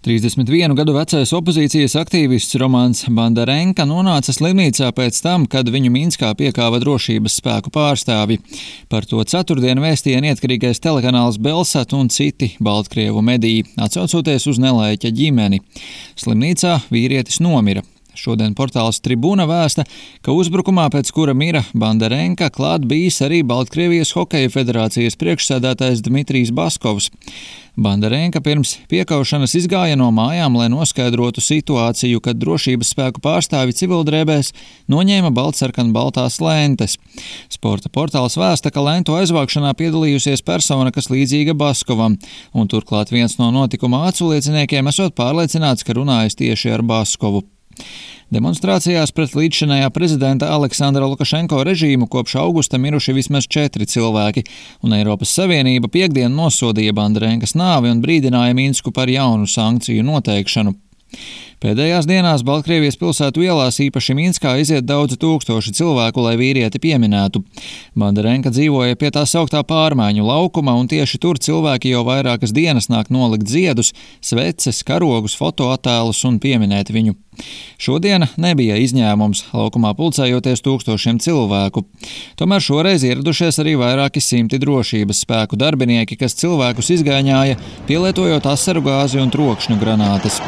31 gadu vecais opozīcijas aktīvists Romans Bandarenka nonāca slimnīcā pēc tam, kad viņu Minskā piekāva drošības spēku pārstāvji. Par to ceturtdien vēstīja neatkarīgais telekanāls Belsat un citi Baltkrievu mediji, atsaucoties uz nelaiķa ģimeni. Slimnīcā vīrietis nomira. Šodien portāls Tribuna vēsta, ka uzbrukumā, pēc kura mira Bandarenka, klāt bijis arī Baltkrievijas hokeja federācijas priekšsēdētājs Dmitrijs Baskovs. Bandarenka pirms piekaušanas izgāja no mājām, lai noskaidrotu situāciju, kad drošības spēku pārstāvi civildrēbēs noņēma baltsarkanbaltās lentes. Sporta portāls vēsta, ka lentu aizvākšanā piedalījusies persona, kas līdzīga Baskovam, un turklāt viens no notikuma aculieciniekiem esot pārliecināts, ka runājas tieši ar Baskovu. Demonstrācijās pret līdzšinējā prezidenta Aleksandra Lukašenko režīmu kopš augusta miruši vismaz 4 cilvēki, un Eiropas Savienība piektdien nosodīja Bandarenkas nāvi un brīdināja Minsku par jaunu sankciju noteikšanu. Pēdējās dienās Baltkrievijas pilsētu ielās, īpaši Minskā, iziet daudzi tūkstoši cilvēku, lai vīrieti pieminētu. Bandarenka dzīvoja pie tā sauktā pārmaiņu laukuma, un tieši tur cilvēki jau vairākas dienas nāk nolikt ziedus, sveces, karogus, fotoattēlus un pieminēt viņu. Šodiena nebija izņēmums, laukumā pulcējoties tūkstošiem cilvēku. Tomēr šoreiz ieradušies arī vairāki simti drošības spēku darbinieki, kas cilvēkus izgaiņāja, pielietojot asaru gāzi un trokšņu granātas.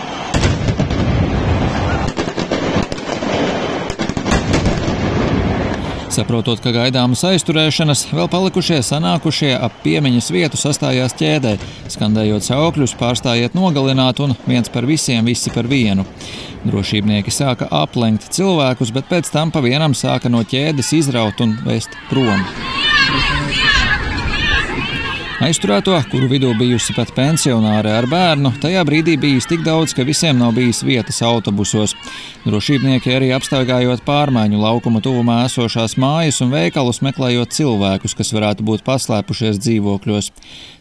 Saprotot, ka gaidāmas aizturēšanas, vēl palikušie sanākušie ap piemiņas vietu sastājās ķēdē, skandējot saukļus "pārstājiet nogalināt" un "viens par visiem, visi par vienu". Drošībnieki sāka aplenkt cilvēkus, bet pēc tam pa vienam sāka no ķēdes izraut un vest prom. Aizturēto, kuru vidū bijusi pat pensionāre ar bērnu, tajā brīdī bijis tik daudz, ka visiem nav bijis vietas autobusos. Drošībnieki arī apstaigājot pārmaiņu laukuma tuvumā esošās mājas un veikalus, meklējot cilvēkus, kas varētu būt paslēpušies dzīvokļos.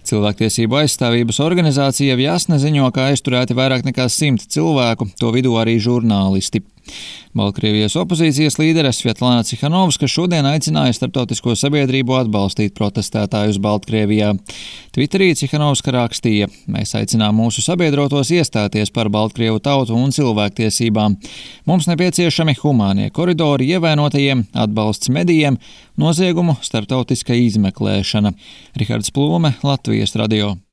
Cilvēktiesību aizstāvības organizācija Vjasne ziņo, ka aizturēti vairāk nekā 100 cilvēku, to vidū arī žurnālisti. Baltkrievijas opozīcijas līdere Svetlana Cihanovska šodien aicināja starptautisko sabiedrību atbalstīt protestētājus Baltkrievijā. Twitterī Cihanovska rakstīja: "Mēs aicinām mūsu sabiedrotos iestāties par Baltkrievu tautu un cilvēktiesībām. Mums nepieciešami humānie koridori ievainotajiem, atbalsts medijiem, noziegumu starptautiska izmeklēšana." Rihards Plūme, Latvijas radio.